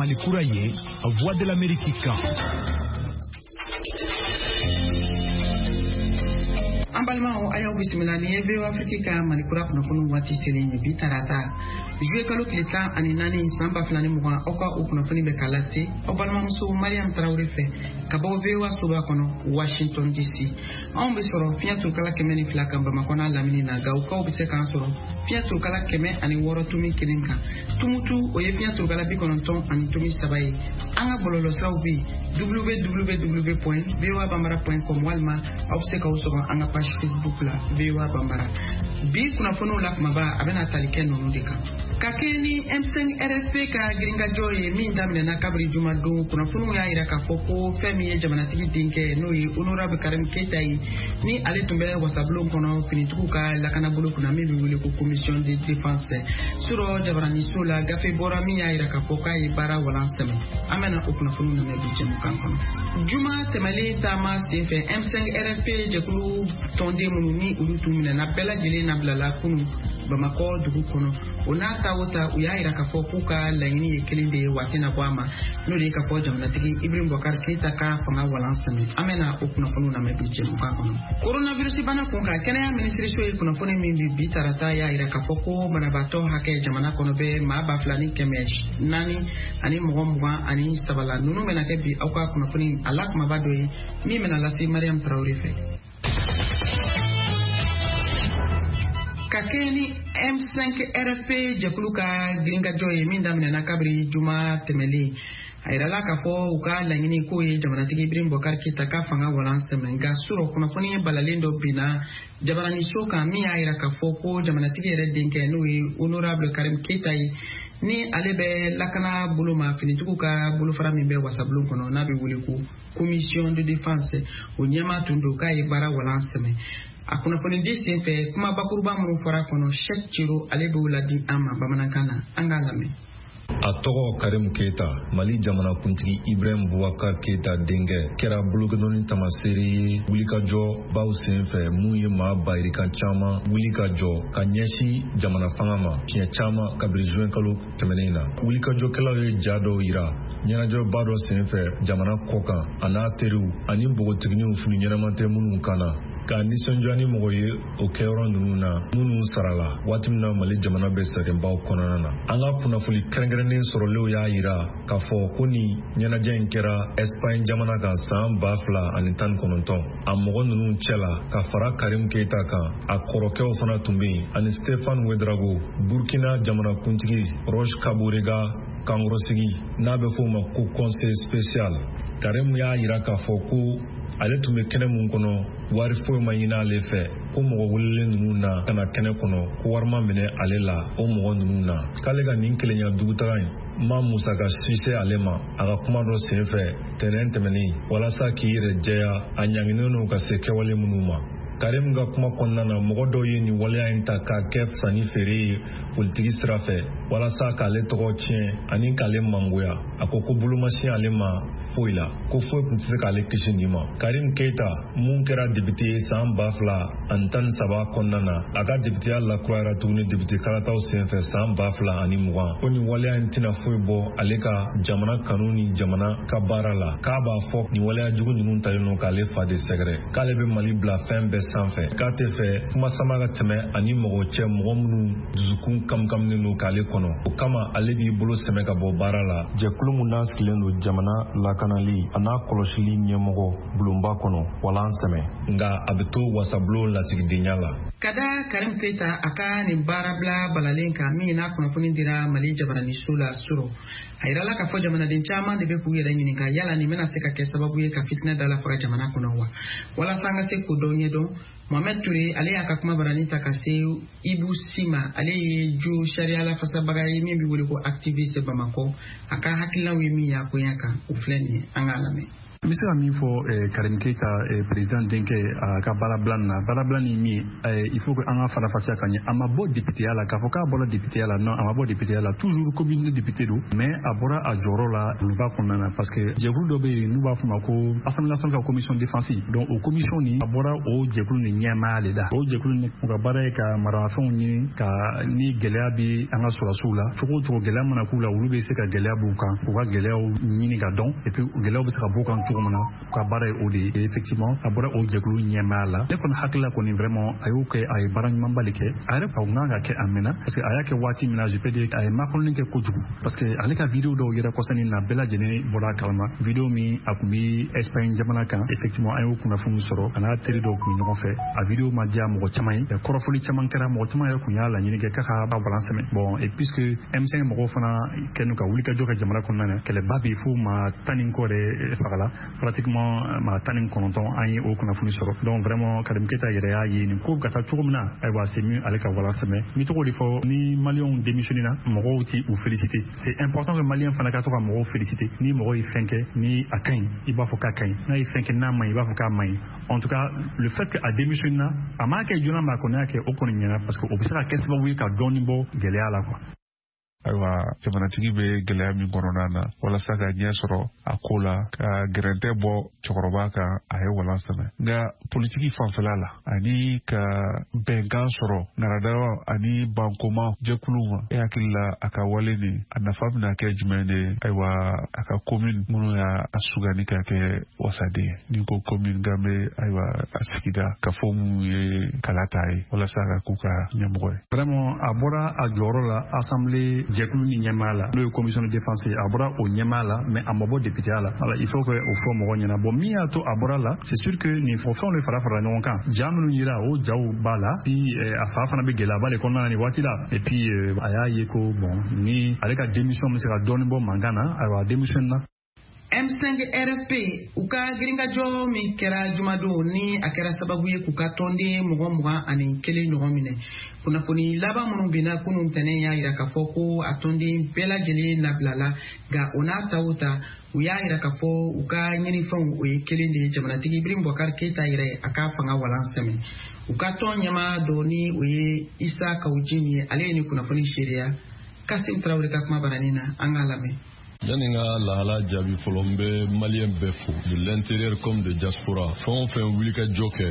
Mali kura ye, Voix de l'Amérique kan. An balimaw, a y'aw bisimila. Ni ye VOA Afrique ka Mali kura kunnafoniw waati selen ye. Bi tarata, juillet kalo tile 14, san 2020, aw ka o kunnafoni bɛ ka lase aw balimamuso Mariam Tarawele fɛ ka bɔ VOA soba kɔnɔ, Washington DC. Anw bɛ sɔrɔ fiɲɛ turukala 102 kan Bamakɔ n'a lamini na. Gawukaw bɛ se k'an sɔrɔ fiɲɛ turukala 106.1 kan. Tumutu, o ye fiɲɛ turukala 90.3 ye. An ka bɔlɔlɔsiraw bɛ yen, www.voabambara.com, walima aw bɛ se k'aw sɔrɔ an ka page Facebook la, VOA Bambara. Bi kunnafoniw la kumaba, a bɛna tali kɛ ninnu de kan. Ka kɛɲɛ ni M5 RFP ka girinkajɔ ye min daminɛna kabiri jumadon, kunnafoniw y'a yira k'a fɔ ko fɛn min ye jamanatigi denkɛ, n'o ye honorable Karim Keita ye, ni ale tun bɛ wasabulon kɔnɔ finitigiw ka lakanabolo kunna min bɛ wele ko commission de défense, surɔ jabaraniso la, gafe bɔra min y'a yira k'a fɔ k'a ye baara walan sɛmɛ. An bɛna o kunnafoniw lamɛn bi jɛmukan kɔnɔ. Juma tɛmɛlen taama senfɛ, M5 RFP jɛkulu tɔnden minnu ni olu tun minɛna, bɛɛ lajɛlen nabilala kunu Bamakɔ dugu kɔnɔ. O n'a ta o ta, u y'a yira k'a fɔ k'u ka laɲini ye kelen de ye, waati na bɔ a ma, n'o de ye k'a fɔ jamanatigi Ibrahim Boubacar Keita ka fanga walan sɛmɛ. An bɛna o kunnafoniw lamɛn bi jɛmukan kɔnɔ. Coronavirus bana kun kan, kɛnɛya minisiriso ye kunnafoni min bi bi tarata y'a yira k'a fɔ ko banabaatɔ hakɛ jamana kɔnɔ bɛ maa 2423 la. Ninnu bɛna kɛ bi aw ka kunnafoni a la kumaba dɔ ye min bɛna lase Mariam Tarawele fɛ. Ka kɛɲɛ ni M5 RFP jɛkulu ka girinkajɔ ye min daminɛna kabiri juma tɛmɛlen, a yirala k'a fɔ u ka laɲini k'o ye jamanatigi Ibrahim Boubacar Keita ka fanga walan sɛmɛ. Nka surɔ, kunnafoni balalen dɔ binna jabaraniso kan min y'a yira k'a fɔ ko jamanatigi yɛrɛ denkɛ, n'o ye honorable Karim Keita ye, ni ale bɛ lakana bolo ma finitigiw ka bolofara min bɛ wasabulon kɔnɔ n'a bɛ wele ko commission de défense, o ɲɛmaa tun don, k'a ye baara walan sɛmɛ. A kunnafonidi senfɛ, kuma bakuruba minnu fɔra a kɔnɔ, Cheick Cero, ale b'o ladi an ma bamanankan na. An k'a lamɛn. A tɔgɔ Karim Keita, Mali jamanakuntigi Ibrahim Boubacar Keita denkɛ, kɛra bolokɛdɔnni tamaseere ye wulikajɔ baw senfɛ mun ye maa bayirikan caman wuli ka jɔ ka ɲɛsin jamana fanga ma siɲɛ caman kabiri juin kalo tɛmɛnen na. Wulikajɔkɛlaw ye ja dɔw yira ɲɛnajɛba dɔ senfɛ jamana kɔkan, a n'a teriw ani npogotiginiw, fini ɲɛnama tɛ minnu kan na, ka nisɔndiya ni mɔgɔ ye o kɛyɔrɔ ninnu na minnu sarala waati min na Mali jamana bɛ sɛgɛnbaw kɔnɔna na. An ka kunnafoni kɛrɛnkɛrɛnnen sɔrɔlenw y'a yira k'a fɔ ko nin ɲɛnajɛ in kɛra Espagne jamana kan san 2019. A mɔgɔ ninnu cɛ la, ka fara Karim Keita kan, a kɔrɔkɛw fana tun bɛ yen, ani Stefan Ouedraogo, Burkina jamanakuntigi Roch Kabore ka kankɔrɔsigi n'a bɛ fɔ o ma ko conseil spécial. Karim y'a yira k'a fɔ ko ale tun bɛ kɛnɛ mun kɔnɔ, wari foyi ma ɲini ale fɛ, ko mɔgɔ welelen ninnu na ka na kɛnɛ kɔnɔ, ko wari ma minɛ ale la o mɔgɔ ninnu na, k'ale ka nin kelenya dugutaga in ma musaka si se ale ma. A ka kuma dɔ senfɛ tɛnɛn tɛmɛnen, walasa k'i yɛrɛ jɛya a ɲanginen don ka se kɛwale minnu ma, Karim ka kuma kɔnɔna na, mɔgɔ dɔw ye nin waleya in ta k'a kɛ sanni feere ye politiki sira fɛ walasa k'ale tɔgɔ tiɲɛ ani k'ale mangoya. A ko ko bolomasin ale ma foyi la, ko foyi tun tɛ se k'ale kisi nin ma. Karim Keita mun kɛra depite ye san 2013 kɔnɔna na, a ka depiteya lakurayara tuguni depite kalataw senfɛ san 2020, ko nin waleya in tɛna foyi bɔ ale ka jamana kanu ni jamana ka baara la, k'a b'a fɔ nin waleya jugu ninnu talen don k'ale fa de sɛgɛrɛ, k'ale bɛ Mali bila fɛn bɛɛ sanfɛ, k'a tɛ fɛ kuma sama ka tɛmɛ ani mɔgɔ cɛ, mɔgɔ minnu dusukun kamkaminen don k'ale kɔnɔ. O kama, ale b'i bolo sɛmɛ ka bɔ baara la jɛkulu mun n'a sigilen don jamana lakanali a n'a kɔlɔsili ɲɛmɔgɔ bulonba kɔnɔ walan sɛmɛ, nka a bɛ to wasabulon lasigidenya la. Ka da Karim Keita a ka nin baarabila balalen kan min n'a kunnafoni dira Mali jabaraniso la surɔ, a yirala k'a fɔ jamanaden caman de bɛ k'u yɛrɛ ɲininka yala nin bɛna se ka kɛ sababu ye ka fitinɛ da la faga jamana kɔnɔ wa. Walasa an ka se k'o dɔ ɲɛdɔn, Mohamed Touré, ale y'a ka kuma barani ta ka se Ibu Sima, ale ye jo sariya lafasabaga ye min bɛ wele ko activiste Bamakɔ. A ka hakilinaw ye min ye a koɲɛ kan, o filɛ nin ye, an k'a lamɛn. N bɛ se ka min fɔ Karim Keita, président denkɛ, a ka baarabila nin na, baarabila ni min, il faut que an ka farafasiya ka ɲɛ. A ma bɔ députéya la k'a fɔ k'a bɔra députéya la. Non, a ma bɔ députéya la, toujours commune député don, mais a bɔra a jɔyɔrɔ la bulonba kɔnɔna na, parce que jɛkulu dɔ bɛ yen n'u b'a fɔ ma ko Assemblée nationale ka commission défense. Donc o commission nin, a bɔra o jɛkulu nin ɲɛmaaya de la. O jɛkulu nin, u ka baara ye ka maramafɛnw ɲini, ka ni gɛlɛya bɛ an ka sɔrɔdasiw la cogo o cogo, gɛlɛya mana k'u la, olu bɛ se ka gɛlɛya b'u kan, k'u ka gɛlɛyaw ɲini ka dɔn, et puis gɛlɛyaw bɛ se ka bɔ u kan cogo min na. U ka baara ye o de ye. Effectivement, a bɔra o jɛkulu ɲɛmaaya la. Ne kɔni hakili la kɔni, vraiment, a y'o kɛ, a ye baara ɲumanba de kɛ. A yɛrɛ a kun kan ka kɛ a mɛnna, parce que a y'a kɛ waati min na, je peux dire, a ye makɔnɔni kɛ kojugu, parce que ale ka vidéo dɔw yɛrɛ kɔsani na, bɛɛ lajɛlen bɔra a kalama, vidéo min a kun bi Espagne jamana kan. Effectivement, an y'o kunnafoni sɔrɔ, a n'a teri dɔw kun ɲɔgɔn fɛ. A vidéo ma diya mɔgɔ caman ye, kɔrɔfɔli caman kɛra, mɔgɔ caman yɛrɛ kun y'a laɲini kɛ k'a ka ba walan sɛmɛ. Bon, et puisque M5 mɔgɔw fana kɛlen ka wulikajɔ kɛ jamana kɔnɔna na, kɛlɛba bɛ fo maa 10 ni kɔ de fagala, pratiquement maa 19, an ye o kunnafoni sɔrɔ. Donc vraiment, Karim Keita yɛrɛ y'a ye nin ko bɛ ka taa cogo min na, ayiwa, c'est mieux ale ka walan sɛmɛ. N bɛ tɔgɔ de fɔ, ni Maliyɛnw démissionné na, mɔgɔw ti u féliciter. C'est important que Maliyɛn fana ka to ka mɔgɔw féliciter. Ni mɔgɔ ye fɛn kɛ ni a ka ɲi, i b'a fɔ k'a ka ɲi. N'a ye fɛn kɛ n'a man ɲi, i b'a fɔ k'a man ɲi. En tout cas, le fait que a démissionné na, a m'a kɛ joona, mais a kɔni y'a kɛ, o kɔni ɲɛna, parce que o bɛ se ka kɛ sababu ye ka dɔɔni bɔ gɛlɛya la, quoi. Ayiwa, jamanatigi bɛ gɛlɛya min kɔnɔna na, walasa ka ɲɛ sɔrɔ a ko la, ka gɛrɛntɛ bɔ cɛkɔrɔba kan, a ye walan sɛmɛ. Nka politiki fanfɛla la, ani ka bɛnkan sɔrɔ ŋaradaw ani bankoma jɛkuluw ma, e hakili la, a ka wale nin, a nafa bɛna kɛ jumɛn de ye, ayiwa, a ka commune minnu y'a sugandi ka kɛ wasaden ye, ni ko commune kan bɛ, ayiwa, a sigida ka fɔ minnu ye kala ta ye walasa ka k'u ka ɲɛmɔgɔ ye? Vraiment, a bɔra a jɔyɔrɔ la assemblée jɛkulu ni ɲɛmaa la, n'o ye commission de défense ye. A bɔra o ɲɛmaa la, mais a ma bɔ députéya la. Voilà, il faut que o fɔ mɔgɔ ɲɛna. Bon, min y'a to a bɔra la, c'est sûr que nin fɔ fɛnw de fara fara ɲɔgɔn kan, ja minnu yira, o jaw b'a la. Puis a fa fana bɛ gɛlɛyaba de kɔnɔna na nin waati la. Et puis a y'a ye ko bon, ni ale ka démission bɛ se ka dɔɔni bɔ mankan na, ayiwa, a démission na. M5 RFP, u ka girinkajɔ min kɛra jumadon, ni a kɛra sababu ye k'u ka tɔnden mɔgɔ 21 ɲɔgɔn minɛ, kunnafoni laban minnu binna kunun tɛnɛn y'a yira k'a fɔ ko a tɔnden bɛɛ lajɛlen labilala. Nka o n'a ta o ta, u y'a yira k'a fɔ u ka ɲinifɛnw, o ye kelen de ye: jamanatigi Ibrahim Boubacar Keita yɛrɛ, a ka fanga walan sɛmɛ. U ka tɔn ɲɛmaa dɔ, ni o ye Isa Kaou Djim ye, ale ye ni kunnafoni seereya Kasim Tarawele ka kuma baranin na. An k'a lamɛn. Yanni n ka lahala jaabi fɔlɔ, n bɛ Maliyɛn bɛɛ fo, de l'intérieur comme de diaspora, fɛn o fɛn wuli ka jɔ kɛ.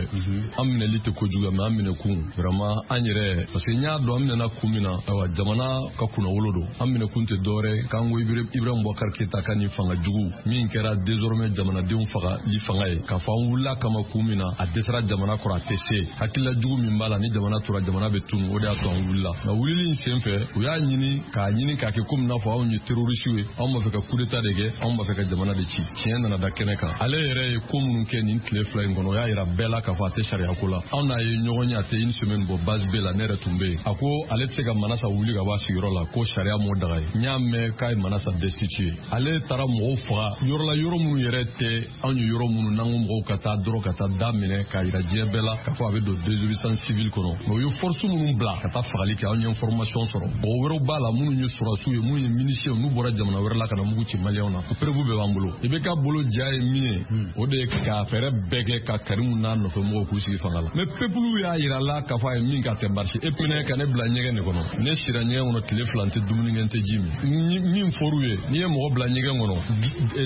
An minɛli tɛ kojugu, mais an minɛ kun, vraiment, an yɛrɛ, parce que n y'a dɔn an minɛna kun min na. Ayiwa, jamana ka kunnawolo don. An minɛ kun tɛ dɔwɛrɛ k'an ko Ibrahim Boubacar Keita ka nin fanga jugu min kɛra désormais jamanadenw faga li fanga ye, k'a fɔ an wulila kama kun min na, a dɛsɛra jamana kɔrɔ, a tɛ se. Hakilila jugu min b'a la, ni jamana tora, jamana bɛ tunu. O de y'a to an wulila. Nka wulili in sen fɛ, u y'a ɲini k'a ɲini k'a kɛ komi n'a fɔ anw ye terroriste ye, anw b'a fɛ ka coup d'état de kɛ, anw b'a fɛ ka jamana de ci. Tiɲɛ nana da kɛnɛ kan. Ale yɛrɛ ye ko minnu kɛ nin tile 2 in kɔnɔ, o y'a yira bɛɛ la k'a fɔ a tɛ sariya ko la. Anw n'a ye ɲɔgɔn ye, a tɛ une semaine bɔ, base B la, ne yɛrɛ tun bɛ yen. A ko ale tɛ se ka Manasa wuli ka bɔ a sigiyɔrɔ la, ko sariya m'o daga ye. N y'a mɛn k'a ye Manasa destitué. Ale taara mɔgɔw faga yɔrɔ la, yɔrɔ minnu yɛrɛ tɛ anw ye yɔrɔ minnu n'an ko mɔgɔw ka taa dɔrɔn ka taa da minɛ k'a yira diɲɛ bɛɛ la k'a fɔ a bɛ don désobéissance civile kɔnɔ. Mais u ye force minnu bila ka taa fagali kɛ, anw ye information sɔrɔ. Mɔgɔ wɛrɛw b'a la minnu ye sɔrɔdasiw ye, minnu ye miliciens, n'u bɔra jamana wɛrɛ la ka na mugu ci Maliyɛnw na. O preuve bɛɛ b'an bolo. I bɛ ka bolo ja ye min ye, o de ye ka fɛɛrɛ bɛɛ kɛ ka Karimu n'a nɔfɛ mɔgɔw k'u sigi fanga la. Mais peuple y'a yira la k'a fɔ a ye min kɛ, a tɛ marcher. E minɛ ka ne bila ɲɛgɛn de kɔnɔ. Ne sira ɲɛgɛn kɔnɔ tile 2, n tɛ dumuni kɛ, n tɛ ji min. Min fɔr'u ye, n'i ye mɔgɔ bila ɲɛgɛn kɔnɔ,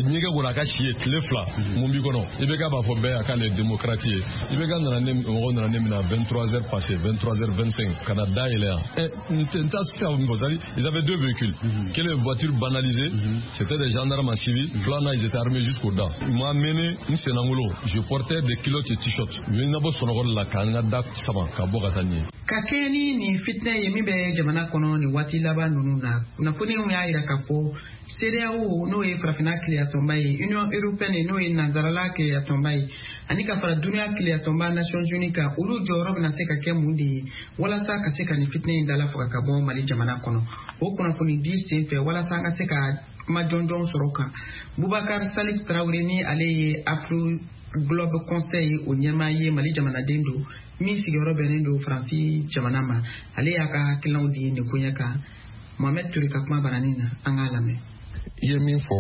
ɲɛgɛn kɔnɔ, a ka si ye tile 2, mun b'i kɔnɔ? I bɛ ka b'a fɔ bɛɛ a k'ale ye démocrate ye. I bɛ ka nana ne, mɔgɔw nana ne minɛ à 23 heures passées, 23 heures 25, ka na da yɛlɛ yan. N t'a se ka min fɔ, c'est-à-dire ils avaient deux véhicules. Kelen, voiture banalisée, c'était des gendarmes en civil. Filanan, ils étaient armés jusqu'aux dents. Ils m'ont amené n sennangolo, je portais des culottes et t-shirts. U ye n labɔ sunɔgɔ la k'an ka da sama ka bɔ ka taa nin ye. Ka kɛɲɛ ni nin fitinɛ ye min bɛ jamana kɔnɔ nin waati laban ninnu na, kunnafoniw y'a yira k'a fɔ CEDEAO, n'o ye Farafinna keleyatɔnba ye, Union européenne, n'o ye Nanzarala keleyatɔnba ye, ani ka fara duniya keleyatɔnba Nations unies kan, olu jɔyɔrɔ bɛna se ka kɛ mun de ye walasa ka se ka nin fitinɛ in dala faga ka bɔ Mali jamana kɔnɔ? O kunnafoni di sen fɛ, walasa an ka se ka kuma jɔnjɔn sɔrɔ kan, Bubakar Salif Tarawele, ni ale ye Afro Globe Conseil o ɲɛmaa ye, Mali jamanaden don min sigiyɔrɔ bɛnnen don Faransi jamana ma, ale y'a ka hakilinaw di nin koɲɛ kan Mohamed Toure ka kuma baranin na. An k'a lamɛn. I ye min fɔ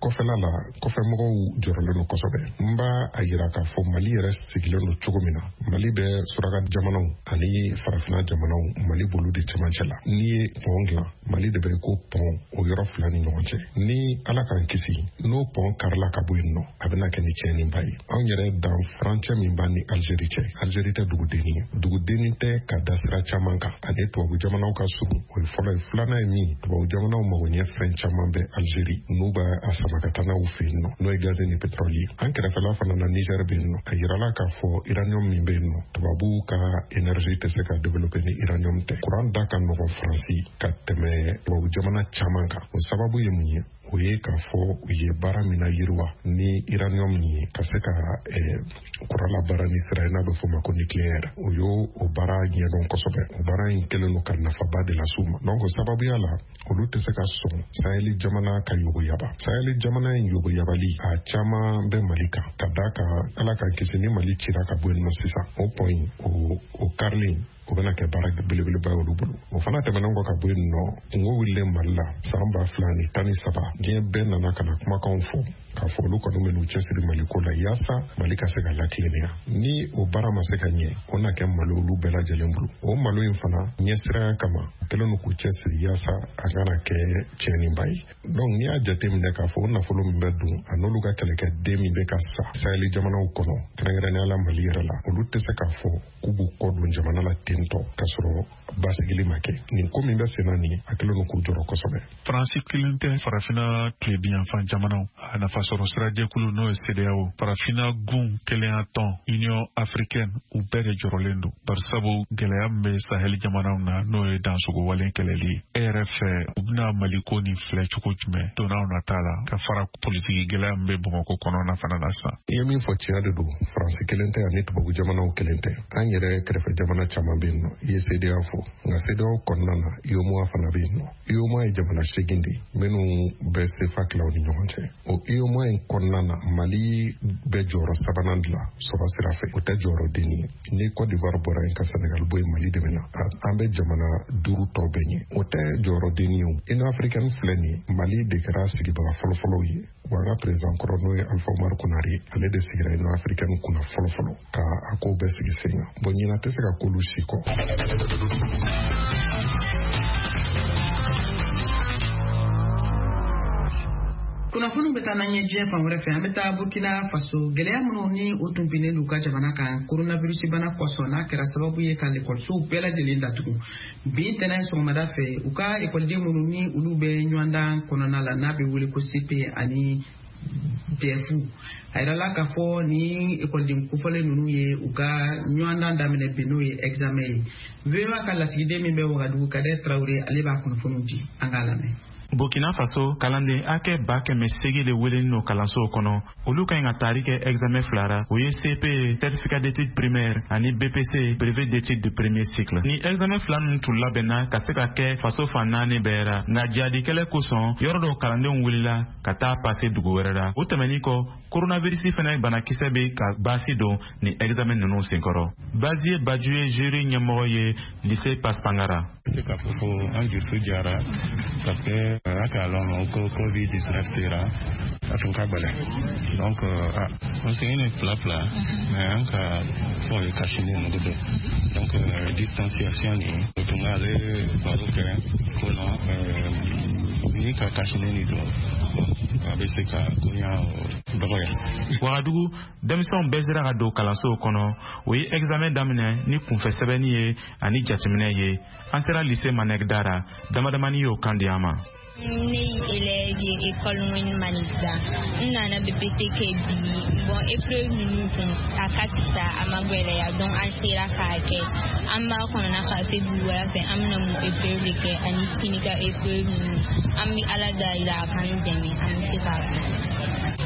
kɔfɛla la, kɔfɛmɔgɔw jɔrɔlen don kosɛbɛ. N b'a a yira k'a fɔ Mali yɛrɛ sigilen don cogo min na, Mali bɛ suraka jamanaw ani farafinna jamanaw, Mali b'olu de cɛmancɛ la. N'i ye pɔn dilan, Mali de bɛ ko pɔn o yɔrɔ fila ni ɲɔgɔn cɛ. Ni Ala k'an kisi, n'o pɔn karila ka bɔ yen nɔ, a bɛna kɛ ni tiɲɛniba ye. Anw yɛrɛ dan furancɛ min b'an ni Algérie cɛ, Algérie tɛ dugudenni ye, dugudenni tɛ ka da sira caman kan, ani tubabu jamanaw ka surun, o ye fɔlɔ ye. Filanan ye min, tubabu jamanaw mago ɲɛ fɛn caman bɛ Algérie, n'u b'a a sama ka taa n'aw fɛ yen nɔ, n'o ye gazi ni pétrole ye. An kɛrɛfɛla fana na, Niger bɛ yen nɔ. A yirala k'a fɔ uranium min bɛ yen nɔ, tubabuw ka énergie tɛ se ka développer ni uranium tɛ. Kuran da ka nɔgɔn Faransi ka tɛmɛ tubabu jamana caman kan. O sababu ye mun ye? O ye k'a fɔ u ye baara min na yiriwa ni uranium ye, ka se ka kuran labaara ni sira ye n'a bɛ f'o ma ko nucléaire, o y'o o baara ɲɛdɔn kosɛbɛ. O baara in kɛlen don ka nafaba de las'u ma. Donc o sababuya la, olu tɛ se ka sɔn Saheli jamana ka yogoyaba. Saheli jamana in yogoyabali a caman bɛ Mali kan, ka d'a kan Ala k'an kisi, ni Mali cira ka bɔ yen nɔ sisan, o pɔn in o karilen, o bɛna kɛ baara belebeleba ye olu bolo. O fana tɛmɛnen kɔ ka bɔ yen nɔ, kungo wulilen Mali la san 2013, diɲɛ bɛɛ nana ka na kumakanw fɔ k'a fɔ olu kɔni bɛ n'u cɛsiri Mali ko la yaasa Mali ka se ka latilennenya. Ni o baara ma se ka ɲɛ, o na kɛ malo olu bɛɛ lajɛlen bolo. O malo in fana ɲɛsiranya kama, kɛlen don k'u cɛsiri yaasa a kana kɛ tiɲɛniba ye. Donc n'i y'a jateminɛ k'a fɔ o nafolo min bɛ don, a n'olu ka kɛlɛkɛden min bɛ ka sa Saheli jamanaw kɔnɔ, kɛrɛnkɛrɛnnenya la Mali yɛrɛ la, olu tɛ se k'a fɔ k'u b'u kɔ don jamana la ten tɔ k'a sɔrɔ basigili ma kɛ. Nin ko min bɛ sen na nin, a kɛlen don k'u jɔrɔ kosɛbɛ. Faransi kelen tɛ, farafinna tilebinyanfan jamanaw a nafasɔrɔ sirajɛkulu n'o ye CEDEAO, farafinna gun kelenya tɔn Union africaine, u bɛɛ de jɔrɔlen don, barisabu gɛlɛya min bɛ Saheli jamanaw na, n'o ye dansogo walen kɛlɛli ye. E yɛrɛ fɛ, u bɛna Mali ko nin filɛ cogo jumɛn donnaw nata la, ka fara politiki gɛlɛya min bɛ Bamakɔ kɔnɔna fana na sisan? I ye min fɔ tiɲɛ de don. Faransi kelen tɛ ani tubabu jamanaw kelen tɛ, an yɛrɛ kɛrɛfɛ jamana caman bɛ yen nɔ. I ye CEDEAO fɔ, nka CEDEAO kɔnɔna na, UEMOA fana bɛ yen nɔ. UEMOA ye jamana 8 de ye minnu bɛ CFA tilaw ni ɲɔgɔn cɛ. O UEMOA in kɔnɔna na, Mali bɛ jɔyɔrɔ sabanan dilan sɔrɔ sira fɛ, o tɛ jɔyɔrɔ denni ye. Ni Côte d'Ivoire bɔra yen ka Sénégal bɔ yen, Mali de bɛ na. An bɛ jamana 5 tɔ bɛɛ ɲɛ, o tɛ jɔyɔrɔ denni ye. O Union africaine filɛ nin ye, Mali de kɛra sigibaga fɔlɔfɔlɔw ye. Wa an ka président kɔrɔ, n'o ye Alpha Oumar Konaré, ale de sigira Union africaine kunna fɔlɔfɔlɔ ka a kow bɛɛ sigi sen kan. Bon, ɲinan tɛ se ka k'olu si kɔ. Kunnafoniw bɛ taa n'an ye diɲɛ fan wɛrɛ fɛ. An bɛ taa Burkina Faso. Gɛlɛya minnu ni o tun binnen u ka jamana kan coronavirus bana kosɔn, n'a kɛra sababu ye ka lekɔlisow bɛɛ lajɛlen datugu, bi ntɛnɛn sɔgɔmada fɛ, u ka ekɔliden minnu ni olu bɛ ɲɔgɔndan kɔnɔna la n'a bɛ wele ko CP ani DEF, a yirala k'a fɔ ni ekɔliden kofɔlen ninnu ye u ka ɲɔgɔndan daminɛ bi, n'o ye examen ye. VOA ka lasigiden min bɛ Wagadugu, Kadɛ Tarawele, ale b'a kunnafoniw di, an k'a lamɛn. Burkina Faso, kalanden hakɛ 800,000 de welelen don kalansow kɔnɔ. Olu ka ɲi ka taari kɛ examen fila ra, o ye CP, certificat d'études primaires, ani BPC, brevet d'études de premier cycle. Ni examen fila ninnu tun labɛnna ka se ka kɛ faso fan 4 bɛɛ ra, nka jihadi kɛlɛ kosɔn, yɔrɔ dɔw kalandenw wulila ka taa pase dugu wɛrɛ la. O tɛmɛnin kɔ, coronavirus fɛnɛ banakisɛ bɛ ka baasi don ni examen ninnu senkɔrɔ. Bazie Baju ye jury ɲɛmɔgɔ ye lycée Paspangara. Se k'a fɔ ko an dusu jara, parce que a k'a lɔn ko Covid-19 sera, a tun ka gɛlɛn. Donc an seginni fila fila, mais an ka fɔ ye cache-nez ninnu don. Donc distanciation nin, o tun k'ale baro kɛ ko non, ni ka cache-nez nin don, a bɛ se ka koɲa dɔgɔya. Wagadugu, denmisɛnw bɛɛ sera ka don kalansow kɔnɔ. O ye examen daminɛ ni kunfɛ sɛbɛnni ye ani jateminɛ ye. An sera lycée Manɛgda ra, damadamani y'o kan di an ma. Ne ye élève ye école Ŋɔni Manigda. N nana BPC kɛ bi. Bon, épreuve ninnu kun a ka fisa, a ma gwɛlɛya, donc an sera k'a kɛ. An b'a kɔnɔna ka se bi wula fɛ, an bɛna mun épreuve de kɛ ani sini ka épreuve ninnu. An bɛ Ala dali a k'an dɛmɛ, an bɛ se k'a kɛ.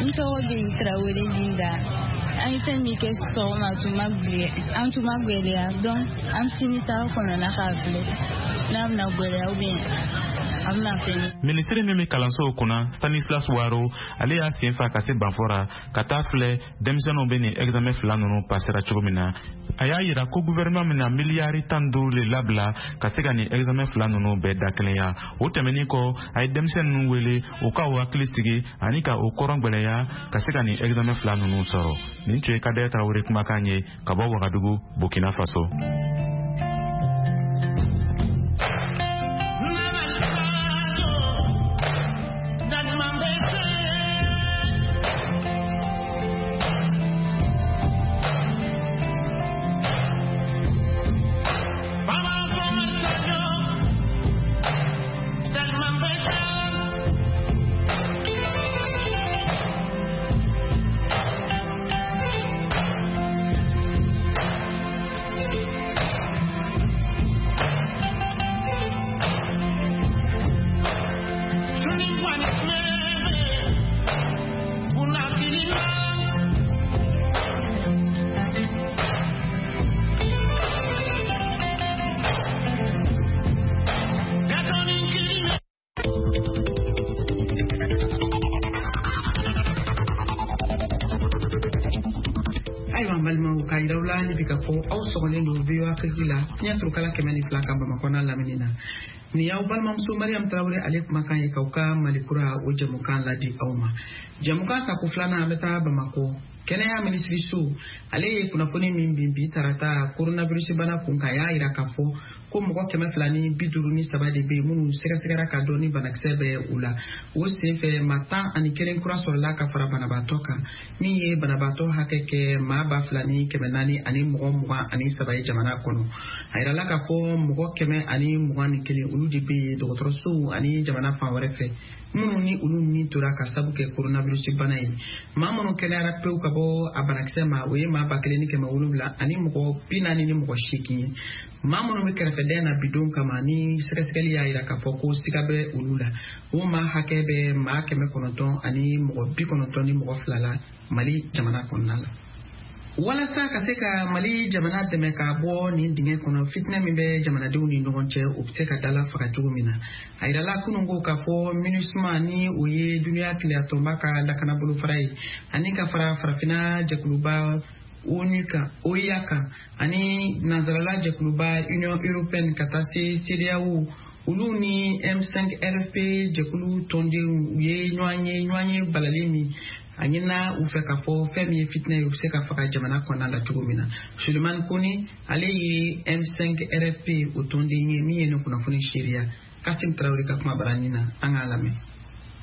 N tɔgɔ bɛ Tarawele Linda. An ye fɛn min kɛ sɔgɔma, an tun ma gwɛlɛya, donc an sini ta kɔnɔna k'a filɛ n'a bɛna gwɛlɛya ou bien. A bɛna fɛn. Minisiri min bɛ kalansow kunna, Stanislas Waro, ale y'a sen fa ka se Banfora ka taa filɛ denmisɛnninw bɛ nin examen fila ninnu pasera cogo min na. A y'a yira ko gouvernement bɛna miliyari 15 de labila ka se ka nin examen fila ninnu bɛɛ dakelenya. O tɛmɛnen kɔ, a ye denmisɛnnin ninnu wele u ka u hakili sigi ani ka u kɔrɔn gwɛlɛya ka se ka nin examen fila ninnu sɔrɔ. Nin tun ye Kadɛ Tarawele kumakan ye ka bɔ Wagadugu, Burkina Faso. Ayiwa, n balimaw, k'a yira aw la hali bi k'a fɔ aw sɔgɔlen don VOA Afrique la, fiɲɛ turukala 102 kan, Bamakɔ n'a lamini na. Nin y'aw balimamuso Mariam Tarawele ale kumakan ye k'aw ka Mali kura o jɛmukan ladi aw ma. Jɛmukan tako filanan, an bɛ taa Bamakɔ. Kɛnɛya minisiriso ale ye kunnafoni min bin bi tarata coronavirus bana kun kan, a y'a yira k'a fɔ ko mɔgɔ 253 de bɛ yen minnu sɛgɛsɛgɛra ka dɔn ni banakisɛ bɛ u la. O senfɛ, maa 11 kura sɔrɔla ka fara banabaatɔ kan, min ye banabaatɔ hakɛ kɛ maa 2423 ye jamana kɔnɔ. A yirala k'a fɔ mɔgɔ 121, olu de bɛ yen dɔgɔtɔrɔsow ani jamana fan wɛrɛ fɛ, minnu ni olu ni tora ka sabu kɛ coronavirus bana ye. Maa minnu kɛnɛyara pewu ka bɔ a banakisɛ ma, o ye maa 1748 ye. Maa minnu bɛ kɛrɛfɛdɛn na bidon kama ni sɛgɛsɛgɛli y'a yira k'a fɔ ko siga bɛ olu la, o maa hakɛ bɛ maa 992 la Mali jamana kɔnɔna la. Walasa ka se ka Mali jamana dɛmɛ ka bɔ nin dingɛ kɔnɔ, fitinɛ min bɛ jamanadenw ni ɲɔgɔn cɛ, o bɛ se ka dala faga cogo min na, a yirala kunun ko k'a fɔ MINUSMA, ni o ye duniya tileyatɔnba ka lakana bolofara ye, ani ka fara farafinna jɛkuluba ONU kan, OUA kan, ani nansarala jɛkuluba Union européenne, ka taa se CEDEAO, olu ni M5 RFP jɛkulu tɔndenw, u ye ɲɔgɔn ye, ɲɔgɔn ye balali min a ɲinina u fɛ k'a fɔ fɛn min ye fitinɛ ye, u bɛ se ka faga jamana kɔnɔna la cogo min na. Sulemani Kone, ale ye M5 RFP o tɔnden ye min ye nin kunnafoni seereya Kasim Tarawele ka kuma barani na, an k'a lamɛn.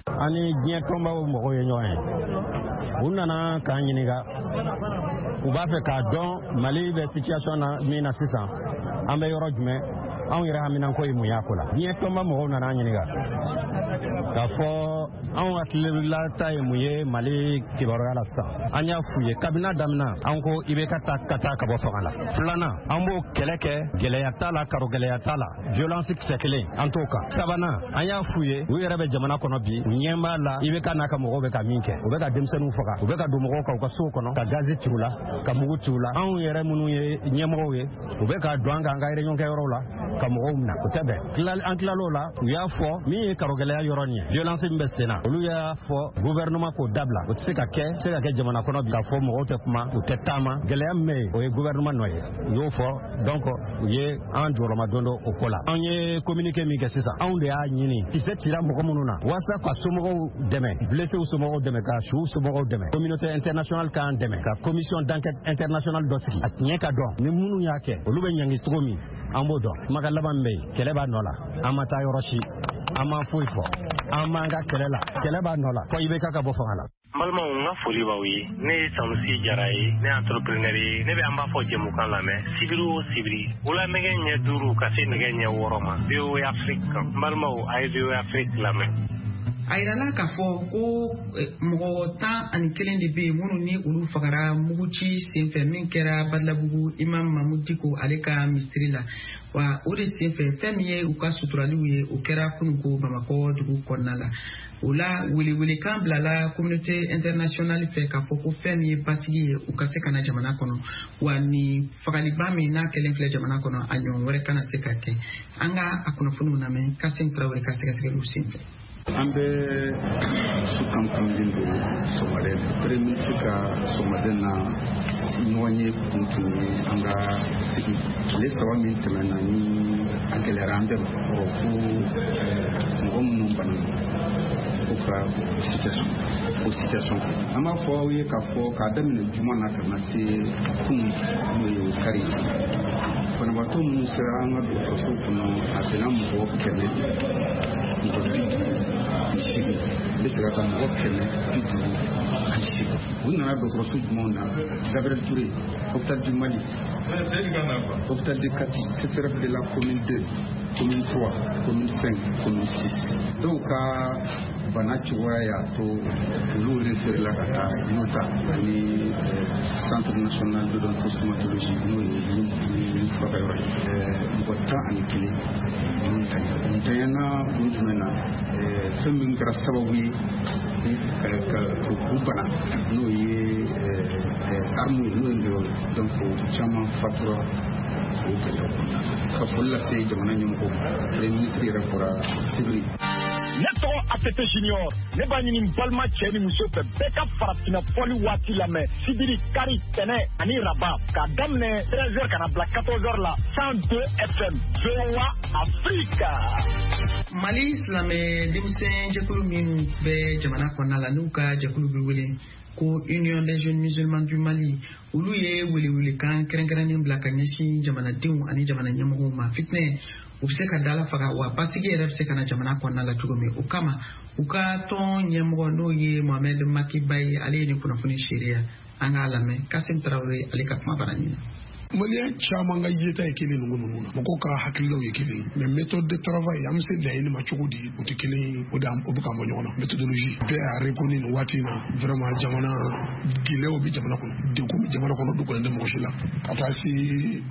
An ni diɲɛ tɔnbaw mɔgɔw ye ɲɔgɔn ye, u nana k'an ɲininka, u b'a fɛ k'a dɔn Mali bɛ situation na min na sisan, an bɛ yɔrɔ jumɛn, anw yɛrɛ haminanko ye mun y'a ko la. Diɲɛ tɔnba mɔgɔw nana an ɲininka k'a fɔ anw hakililata ye mun ye Mali kibaruya la sisan. An y'a f'u ye kabini a daminɛ, an ko IBK ta ka taa ka bɔ fanga la. Filanan, an b'o kɛlɛ kɛ, gɛlɛya t'a la, karo gɛlɛya t'a la, violence kisɛ kelen an t'o kan. Sabanan, an y'a f'u ye, u yɛrɛ bɛ jamana kɔnɔ bi, u ɲɛ b'a la IBK n'a ka mɔgɔw bɛ ka min kɛ, u bɛ ka denmisɛnninw faga, u bɛ ka don mɔgɔw kan u ka sow kɔnɔ, ka gazi ci u la, ka mugu ci u la. Anw yɛrɛ minnu ye ɲɛmɔgɔw ye, u bɛ ka don an kan an ka réunion kɛyɔrɔw la ka mɔgɔw minɛ, o tɛ bɛn. An tilal'o la, u y'a fɔ min ye karogɛlɛya yɔrɔ nin ye, violence min bɛ sen na, olu y'a fɔ gouvernement k'o dabila, o tɛ se ka kɛ, se ka kɛ jamana kɔnɔ bi k'a fɔ mɔgɔw tɛ kuma, u tɛ taama, gɛlɛya min bɛ yen, o ye gouvernement nɔ ye, u y'o fɔ. Donc u ye an jɔyɔrɔma don dɔ o ko la. An ye communiqué min kɛ sisan, anw de y'a ɲini kisɛ cira mɔgɔ minnu na, walasa ka somɔgɔw dɛmɛ, blesséw somɔgɔw dɛmɛ, ka suw somɔgɔw dɛmɛ, communauté internationale k'an dɛmɛ ka commission d'enquête internationale dɔ sigi, a tiɲɛ ka dɔn, ni minnu y'a kɛ, olu bɛ ɲangi cogo min, an b'o dɔn. Kumakan laban min bɛ yen, kɛlɛ b'a nɔ la, an ma taa yɔrɔ si, an ma foyi fɔ, an b'an ka kɛlɛ la, kɛlɛ b'a nɔ la fɔ IBK ka bɔ fanga la. N balimaw, n ka foli b'aw ye. Ne ye Sanusi Jara ye, ne ye entrepreneur ye. Ne bɛ an b'a fɔ jɛmukan lamɛn sibiri o sibiri, wula nɛgɛ ɲɛ 5 ka se nɛgɛ ɲɛ 6 ma, VOA Afrique kan. N balimaw, a ye VOA Afrique lamɛn. A yirala k'a fɔ ko mɔgɔ 11 de bɛ yen minnu ni olu fagara muguci senfɛ min kɛra Badalabugu Imam Mahmoud Dicko ale ka misiri la. Wa o de senfɛ, fɛn min ye u ka suturaliw ye, o kɛra kununko Bamakɔ dugu kɔnɔna la. O la, welewelekan bilala communauté internationale fɛ k'a fɔ ko fɛn min ye basigi ye, u ka se ka na jamana kɔnɔ, wa ni fagaliba min n'a kɛlen filɛ jamana kɔnɔ, a ɲɔgɔn wɛrɛ kana se ka kɛ. An ka a kunnafoniw lamɛn Kasim Tarawele ka sɛgɛsɛgɛliw senfɛ. An bɛ su kamkamlen don sɔgɔmada la. Premier ministre ka sɔgɔmada na ɲɔgɔn ye kun tun ye an ka sigi tile 3 min tɛmɛna ni a gɛlɛyara an bɛɛ ma. Ɔ ko mɔgɔ minnu banana ko ka o situation kan, an b'a fɔ aw ye k'a fɔ k'a daminɛ juma na ka na se kunun, n'o ye o kari ye, banabaatɔ minnu sera an ka dɔgɔtɔrɔso kɔnɔ, a bɛnna mɔgɔ 158. N bɛ segin a kan, mɔgɔ 158. U nana dɔgɔtɔrɔso jumɛnw na? Gabriel Touré, hôpital du Mali, hôpital de Kati, CSRéf de la commune 2, commune 3, commune 5, commune 6. Dɔw ka bana cogoya y'a to olu référé la ka taa Yota ani centre national d'odontostomatologie, n'o ye ni furakɛyɔrɔ ye. Mɔgɔ 11 olu ntanya. Ntanyana kun jumɛn na? Fɛn min kɛra sababu ye ka u bana, n'o ye arme ye, n'o ye ngɔyɔ ye. Donc caman fatura o gɛlɛyaw kɔnɔna na. Ka foli lase jamana ɲɛmɔgɔw ma. Premier ministre yɛrɛ bɔra sibiri. Ne tɔgɔ ATT Junior. Ne b'a ɲini n balima cɛ ni muso fɛ, bɛɛ ka farafinna fɔli waati lamɛn sibiri, kari, tɛnɛ ani raba, k'a daminɛ 13 heures ka na bila 14 heures la, 102 FM, VOA Afrique. Mali silamɛ denmisɛn jɛkulu minnu bɛ jamana kɔnɔna la, n'u ka jɛkulu bɛ wele ko Union des jeunes musulmans du Mali, olu ye welewelekan kɛrɛnkɛrɛnnen bila ka ɲɛsin jamanadenw ani jamana ɲɛmɔgɔw ma. Fitinɛ u bɛ se ka dala faga, wa basigi yɛrɛ bɛ se ka na jamana kɔnɔna la cogo min. O kama, u ka tɔn ɲɛmɔgɔ, n'o ye Mohamed Makiba ye, ale ye nin kunnafoni seereya. An k'a lamɛn Kasim Tarawele ale ka kuma bara ɲin na. Maliyɛn caman ka yeta ye kelen ninnu ninnu na, mɔgɔw ka hakililaw ye kelen, mais méthode de travail, an bɛ se laɲini ma cogo di, o tɛ kelen ye. O de o bɛ ka bɔ ɲɔgɔn na. Méthodologie bɛɛ y'a reconnu nin waati in na, vraiment jamana gɛlɛyaw bɛ jamana kɔnɔ, degun bɛ jamana kɔnɔ, dogolen tɛ mɔgɔ si la. Ka taa se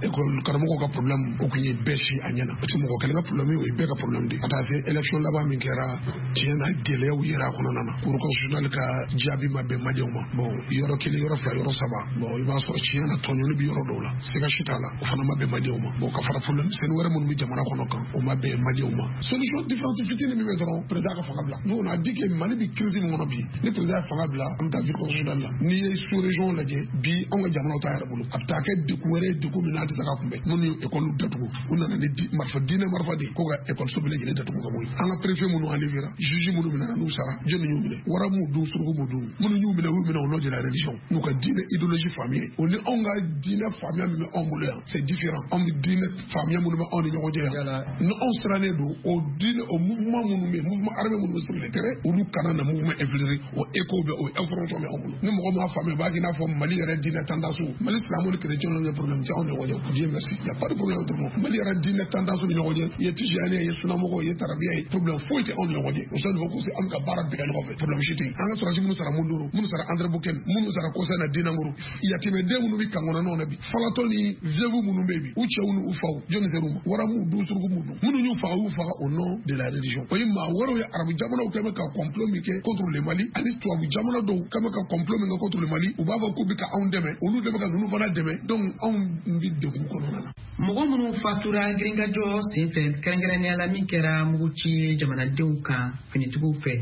école karamɔgɔw ka problème, o kun ye bɛɛ si a ɲɛ na, parce que mɔgɔ kelen ka problème, o ye bɛɛ ka problème de ye. Ka taa se élection laban min kɛra, tiɲɛ na gɛlɛyaw yera a kɔnɔna na. Cour constitutionnelle ka jaabi ma bɛn maliyɛnw ma. Bon, yɔrɔ kelen, yɔrɔ fila, yɔrɔ saba, bon, i b'a sɔrɔ tiɲɛ na tɔɲɔli bɛ yɔrɔ dɔw la, siga si t'a la, o fana ma bɛn maliyɛnw ma. Bon, ka fara problème misɛnnin wɛrɛ minnu bɛ jamana kɔnɔ kan, o ma bɛn maliyɛnw ma. Solution différence fitinin min bɛ dɔrɔn, président ka fanga bila. Nous, on a dit que Mali bɛ crise min kɔnɔ bi, ni président ye fanga bila, an bɛ taa vie constitutionnelle la. N'i ye sous région lajɛ bi, anw ka jamanaw t'a yɛrɛ bolo, a bɛ taa kɛ degun wɛrɛ ye, degun min n'a tɛ se ka kunbɛn. Minnu ye école datugu, u nana ni marifa, diinɛ marifa de ye, ko ka école bɛɛ lajɛlen datugu ka bɔ yen. An ka préfet minnu enlevé, juge minnu minɛna n'u sara, jɔnni y'u minɛ? Wara m'u dun, suruku m'u dun. Minnu y'u minɛ, u y'u minɛ au nom de la religion, n'u ka diinɛ idéologie faamuya ye. O ni anw ka diinɛ faamuya min bɛ anw bolo yan, c'est différent. Anw bɛ diinɛ faamuya minnu bɛ anw ni ɲɔgɔn cɛ yan, ni anw sirannen don o diinɛ, o mouvement minnu bɛ yen, mouvement armé minnu bɛ sur le terrain, olu kana na mouvement infiltré. O écho bɛ, o information bɛ anw bolo. Ni mɔgɔ m'a faamuya, u b'a kɛ i n'a fɔ Mali yɛrɛ diinɛ tendance, Mali silamɛw ni chrétiens ni problème tɛ anw ni ɲɔgɔn cɛ. Dieu merci, y a pas de problème entre nous. Mali yɛrɛ diinɛ tendance ni ɲɔgɔn cɛ, i ye tijani ye, i ye sunamɔgɔ, i ye tarabiya ye, problème foyi tɛ anw ni ɲɔgɔn cɛ. O sani fɔ ko an bɛ ka baara bɛɛ kɛ ɲɔgɔn fɛ, problème si tɛ yen. An ka sɔrɔdasi minnu sara Mondoro, minnu sara Anderamboukane, minnu sara kɔsa na Dinangoro, yatimɛden minnu bɛ kan kɔnɔnaw na bi, falatɔ ni veuve minnu bɛ yen bi, u cɛw ni u faw, jɔnni ser'u ma? Wara m'u dun, suruku m'u dun. Minnu y'u faga, u y'u faga au nom de la religion. O ye maa wɛrɛw ye. Arabu jamanaw kɛ bɛ ka complot min kɛ contre le Mali, ani tubabu jamana dɔw kɛ bɛ ka complot min kɛ contre le Mali, u b'a fɔ k'u bɛ ka anw dɛmɛ, olu de bɛ ka ninnu fana dɛmɛ. Donc anw bɛ degun kɔnɔna na. Mɔgɔ minnu fatura girinkajɔ senfɛ, kɛrɛnkɛrɛnnenya la min kɛra muguci ye jamanadenw kan finitigiw fɛ,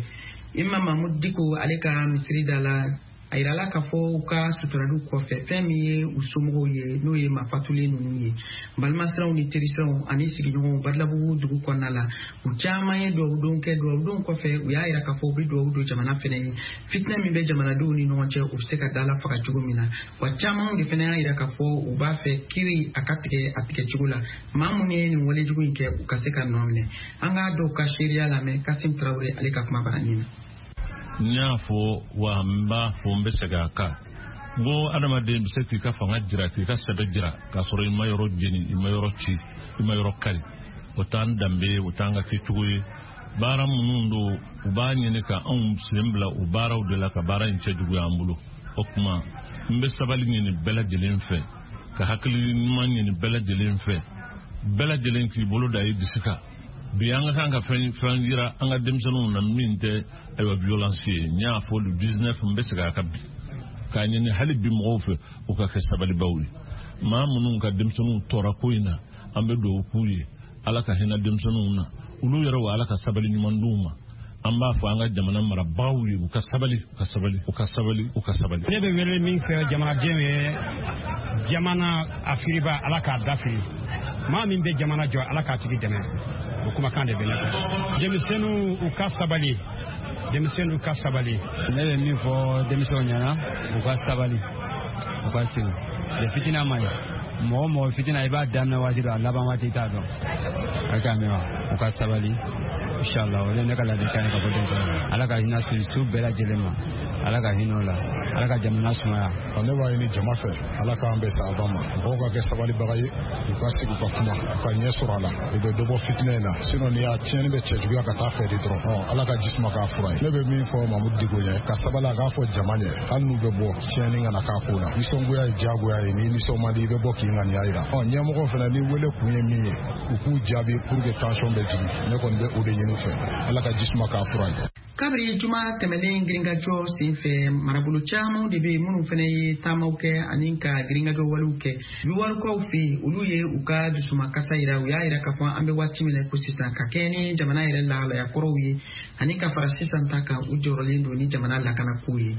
Imam Mahmud Diko ale ka misiri da la, a yirala k'a fɔ u ka suturaliw kɔfɛ, fɛn min ye u somɔgɔw ye, n'o ye mafatulen ninnu ye, balimasiraw ni terisiraw ani sigiɲɔgɔnw Badilabugu dugu kɔnɔna la, u caman ye dugawudon kɛ. Dugawudon kɔfɛ, u y'a yira k'a fɔ u bɛ dugawu don jamana fɛnɛ ye, fitinɛ min bɛ jamanadenw ni ɲɔgɔn cɛ, u bɛ se ka dala faga cogo min na. Wa caman de fɛnɛ y'a yira k'a fɔ u b'a fɛ kiri a ka tigɛ a tigɛ cogo la, maa minnu ye nin walejugu in kɛ, u ka se ka nɔ minɛ. An k'a dɔw ka seereya lamɛn Kasim Tarawele ale ka kuma baranin na. N y'a fɔ wa, n b'a fɔ, n bɛ segin a kan, n ko adamaden bɛ se k'i ka fanga jira, k'i ka sɛbɛ jira, k'a sɔrɔ i ma yɔrɔ jeni, i ma yɔrɔ ci, i ma yɔrɔ kari. O t'an danbe ye, o t'an ka kɛcogo ye. Baara minnu don, u b'a ɲini ka anw sen bila o baaraw de la, ka baara in cɛjuguya an bolo. O tuma, n bɛ sabali ɲini bɛɛ lajɛlen fɛ, ka hakili ɲuman ɲini bɛɛ lajɛlen fɛ, bɛɛ lajɛlen k'i bolo da i disi kan. Bi an ka kan ka fɛn yira an ka denmisɛnninw na min tɛ ayiwa violence ye. N y'a fɔ le 19, n bɛ segin a kan bi k'a ɲini hali bi mɔgɔw fɛ, u ka kɛ sabalibaw ye. Maa minnu ka denmisɛnninw tɔɔra ko in na, an bɛ dugawu k'u ye, Ala ka hinɛ denmisɛnninw na, olu yɛrɛ wa Ala ka sabali ɲuman d'u ma. An b'a fɔ an ka jamana marabagaw ye, u ka sabali, u ka sabali, u ka sabali, u ka sabali. Ne bɛ wele min fɛ jamanadenw ye, jamana a firiba, Ala k'a da firi. Maa min bɛ jamana jɔ, Ala k'a tigi dɛmɛ. O kumakan de bɛ ne fɛ. Denmisɛnninw, u ka sabali, denmisɛnninw ka sabali. Ne bɛ min fɔ denmisɛnw ɲɛna, u ka sabali, u ka segin de. Fitina ma ɲi mɔgɔ mɔgɔ. Fitina, i b'a daminɛ waati dɔ, a laban waati i t'a dɔn. A k'a mɛn wa, u ka sabali, inshallah. O de ye ne ka ladilikan ye ka bɔ denmisɛnninw ma. Ala ka hinɛ su bɛɛ lajɛlen ma, Ala ka hinɛ o la, Ala ka jamana sumaya. Ne b'a ɲini jama fɛ, Ala k'an bɛn sababa ma. Mɔgɔw ka kɛ sabalibaga ye, u ka sigi, u ka kuma, u ka ɲɛ sɔrɔ a la, u bɛ dɔ bɔ fitinɛ in na. Sinon ni y'a tiɲɛni bɛ cɛjuguya ka taa fɛ de dɔrɔn, Ala ka ji suma k'a fura ye. Ne bɛ min fɔ Mamudu Diko ɲɛ, ka sabali, a k'a fɔ jama ɲɛ, hali n'u bɛ bɔ, tiɲɛni kana k'a ko la. Nisɔngoya ye diyagoya ye, ni nisɔn man di, i bɛ bɔ k'i ŋaniya yira. Ɔ ɲɛmɔgɔ fana ni wele kun ye min ye, u k'u jaabi pour que tension bɛ jigin. Ne kɔni bɛ o de ɲini u fɛ, Ala ka ji suma k'a fura ye. Kabiri juma tɛmɛnen, girinkajɔ senfɛ, marabolo caman de bɛ yen minnu fana ye taamaw kɛ ani ka girinkajɔ walew kɛ. Yuwarukaw fɛ yen, olu ye u ka dusumakasa yira. U y'a yira k'a fɔ an bɛ waati min na ko sisan, ka kɛ ni jamana yɛrɛ lahalaya kɔrɔw ye ani ka fara sisan ta kan, u jɔrɔlen don ni jamana lakanako ye.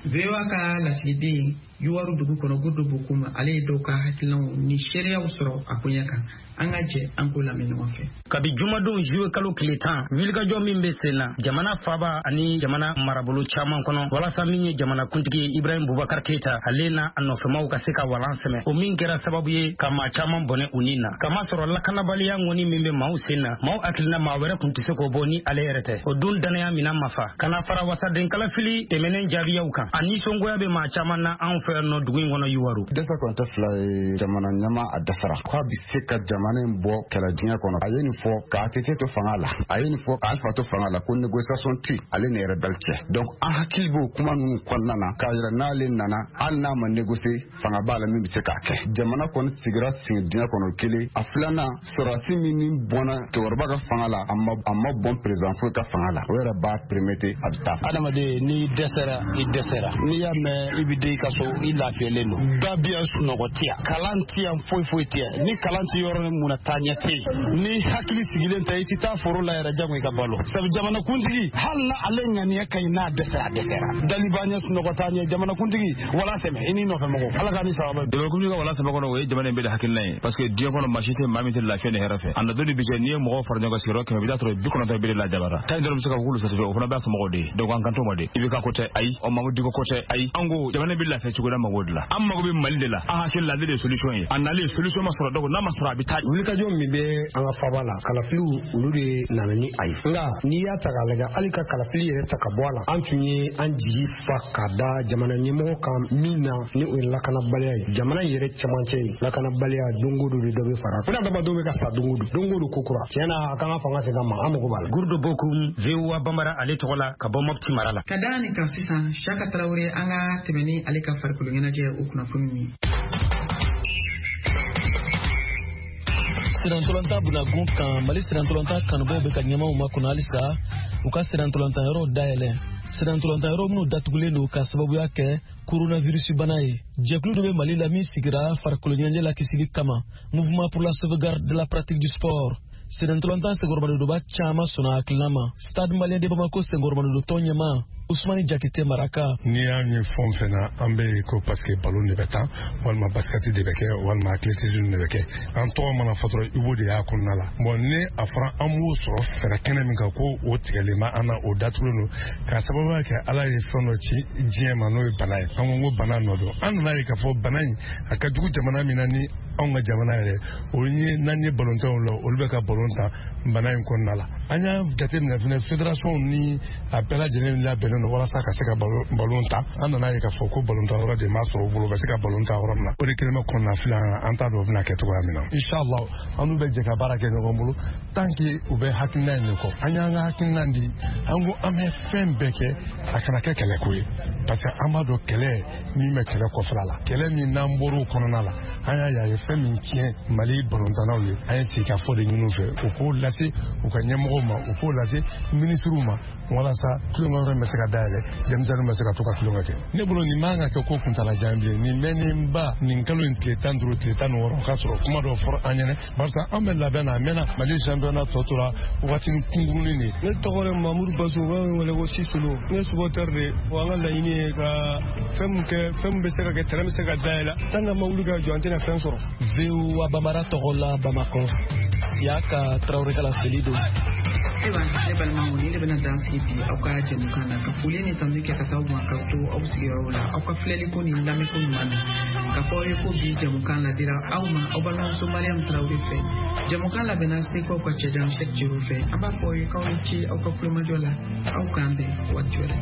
VOA ka lasigiden Yuwaru dugu kɔnɔ, Godo Bokum, ale ye dɔw ka hakilinaw ni seereyaw sɔrɔ a koɲɛ kan. An ka jɛ an k'o lamɛn ɲɔgɔn fɛ. Kabi jumadon juillet kalo tile 10, wulikajɔ min bɛ sen na jamana faba ani jamana marabolo caman kɔnɔ, walasa min ye jamana kuntigi ye Ibrahim Bubakar Keita, ale n'a a nɔfɛmaw ka se ka walan sɛmɛ, o min kɛra sababu ye ka maa caman bɔnɛ u ni na, kamasɔrɔ lakanabaliya ŋɔni min bɛ maaw sen na, maaw hakilina maa wɛrɛ kun tɛ se k'o bɔ ni ale yɛrɛ tɛ. O dun danaya mina ma fa ka na fara wasaden kalafili tɛmɛnen jaabiyaw kan, a nisɔngoya bɛ maa caman na anw fɛ yan nɔ dugu in kɔnɔ Yuwaru. Dɛsɛ kɔni tɛ fila ye, jamana ɲɛma a dɛsɛra k'a bi se ka jamana in bɔ kɛlɛ diɲɛ kɔnɔ. A ye nin fɔ ka ATT to fanga la, a ye nin fɔ ka Alpha to fanga la, ko négociation tɛ ale ni rebelle cɛ. Donc an hakili b'o kuma ninnu kɔnɔna na k'a yira n'ale nana, hali n'a ma négocier, fanga b'a la min bɛ se k'a kɛ. Jamana kɔni sigira sigi diɲɛ kɔnɔ kelen. A filanan, sɔrɔdasi min ni bɔnna cɛkɔrɔba ka fanga la, a ma bɔn président foyi ka fanga la, o yɛrɛ b'a permettre a bɛ taa. Adamaden, n'i dɛsɛra, i dɛsɛra. N'i y'a mɛn i bɛ den i ka so, i lafiyalen don. Da bi yan, sunɔgɔ tɛ yan, kalan tɛ yan, foyi foyi tɛ yan. Ni kalan tɛ yɔrɔ min na, taa ɲɛ tɛ yen. Ni hakili sigilen tɛ, i tɛ taa foro la yɛrɛ, jango i ka balo. Sabu jamanakuntigi, hali na ale ŋaniya ka ɲi, n'a dɛsɛra, a dɛsɛra. Dali b'a ɲɛ, sunɔgɔ t'a ɲɛ. Jamanakuntigi, wala sɛmɛ i n'i nɔfɛ mɔgɔw, Ala k'a ni sababa. Jamanakuntigi ka wala sɛmɛ kɔnɔ, o ye jamana in bɛɛ de hakilina ye, parce que diɲɛ kɔnɔ maa si tɛ maa min tɛ lafiya ni hɛrɛ fɛ. A na don de bi cɛ, n'i ye mɔgɔw fara ɲɔgɔn kan sigiyɔrɔ 100, i bɛ taa sɔrɔ 90 bɛɛ de lajabara tan dɔrɔn bɛ se ka k'olu satisfait, o fana b'a somɔgɔw de ye. Donc an kan t'o ma de. I bɛ ka ko tɛ, ayi, ɔ Mamudu Diko ko tɛ, ayi. An ko jamana bɛ lafiya cogo di? An mago de la, an mago bɛ Mali de la. An hakili la, ale de ye solution ye. A nalen, solution ma sɔrɔ, donc n'a ma sɔrɔ, a bɛ taa. Wulikajɔ min bɛ an ka faba la, kalafiliw olu de nana ni a ye. Nka n'i y'a ta k'a lajɛ, hali ka kalafili yɛrɛ ta ka bɔ a la, an tun ye an jigi fa ka da jamana ɲɛmɔgɔ kan min na, ni o ye lakanabaliya ye jamana in yɛrɛ cɛmancɛ ye. Lakanabaliya, don o don de dɔ bɛ fara ko adamadenw bɛ ka sa don o don, don o don ko kura. Tiɲɛ na, a kan ka fanga segin a ma, an mago b'a la. Gurdo Bokum, VOA Bambara ale tɔgɔ la, ka bɔ Mopti mara la. Ka da nin kan sisan, Siyaka Tarawele, an ka tɛmɛ ni ale ka farikolo ɲɛnajɛ o kunnafoni ye. Sirantolatan bunagun kan, Mali sirantolatan kanubaw bɛ ka ɲɛmaw makɔnɔ halisa u ka sirantolatan yɔrɔw dayɛlɛ, sirantolatan yɔrɔ minnu datugulen don ka sababuya kɛ coronavirus bana ye. Jɛkulu dɔ bɛ Mali la min sigira farikolo ɲɛnajɛ la kisili kama, Mouvement pour la sauvegarde de la pratique du sport. Sirantolatan senkɔrɔmadonba caman sɔnna hakilina ma. Stade Malien de Bamako senkɔrɔmadon ɲɛma, Usumani Jakite Maraka. N'i y'a ye fɛn fɛn na, an bɛ yen ko parce que ballon de bɛ tan, walima basket de bɛ kɛ, walima athlétisme de bɛ kɛ, an tɔgɔ mana fɔ dɔrɔn, i b'o de y'a kɔnɔna la. Bon, ni a fɔra an b'o sɔrɔ fɛɛrɛ kɛnɛ min kan, ko o tigɛlen bɛ an na, o datugulen don k'a sababuya kɛ Ala ye fɛn dɔ ci diɲɛ ma, n'o ye bana ye. An ko bana nɔ don. An nana ye k'a fɔ bana in a ka jugu jamana min na, ni anw ka jamana yɛrɛ o ye, n'an ye balontanw la, olu bɛ ka balon tan bana in kɔnɔna la. An y'a jateminɛ fɛnɛ, fédération ni a bɛɛ lajɛlen labɛnnen. sigilen don walasa ka se ka balon ta. An nana ye k'a fɔ ko balontan yɔrɔ de ma sɔrɔ u bolo, u bɛ se ka balon ta yɔrɔ min na. O de kɛlen bɛ kɔnɔnafili an na, an t'a dɔn o bɛna kɛ cogoya min na. Inshallah, an n'u bɛ jɛ ka baara kɛ ɲɔgɔn bolo tant que u bɛ hakilina in de kɔ. An y'an ka hakilina di, an ko an bɛ fɛn bɛɛ kɛ a kana kɛ kɛlɛko ye, parce que an b'a dɔn kɛlɛ min bɛ kɛlɛ kɔfɛla la, kɛlɛ min n'an bɔr'o kɔnɔna la, an y'a ye a ye fɛn min tiɲɛ Mali balontannaw ye. An ye sigikafɔ de ɲini u fɛ, u k'o lase u ka ɲɛmɔgɔw ma, u k'o lase minisiriw ma, walasa tulonkɛ yɔrɔ in bɛ se ka dayɛlɛ, denmisɛnninw bɛ se ka to ka tulonkɛ kɛ. Ne bolo nin man ka kɛ ko kuntalajan bilen. Nin mɛnnenba nin kalo in tile 15, tile 16, o ka sɔrɔ kuma dɔ fɔra an ɲɛnɛ, barisa an bɛ labɛn na a mɛnna. Mali championnat tɔ tora wagatinin kunkurunin de ye. Ne tɔgɔ de Mamudu Basu, u bɛ wele ko Sisolo. Ne supporter de. Wa an ka laɲini ye ka fɛn min kɛ, fɛn min bɛ se ka kɛ, terrain bɛ se ka dayɛlɛ. Tant que an ma wuli ka jɔ, an tɛna fɛn sɔrɔ. VOA Bambara tɔgɔ la Bamakɔ, Siyaka Tarawele ka laseli don. Ayiwa ne balimaw, nin de bɛna dan sigi bi aw ka jɛmukan na, ka foli ni tanu kɛ ka taa aw ma k'aw to aw sigiyɔrɔw la, aw ka filɛliko ni lamɛnko ɲuman na. K'a fɔ aw ye ko bi jɛmukan ladira aw ma aw balimamuso Mariam Tarawele fɛ. Jɛmukan labɛnna Segukaw ka cɛjan Sɛk Jero fɛ. An b'a fɔ aw ye k'aw ni ce aw ka kulomajɔ la. Aw k'an bɛn waati wɛrɛ.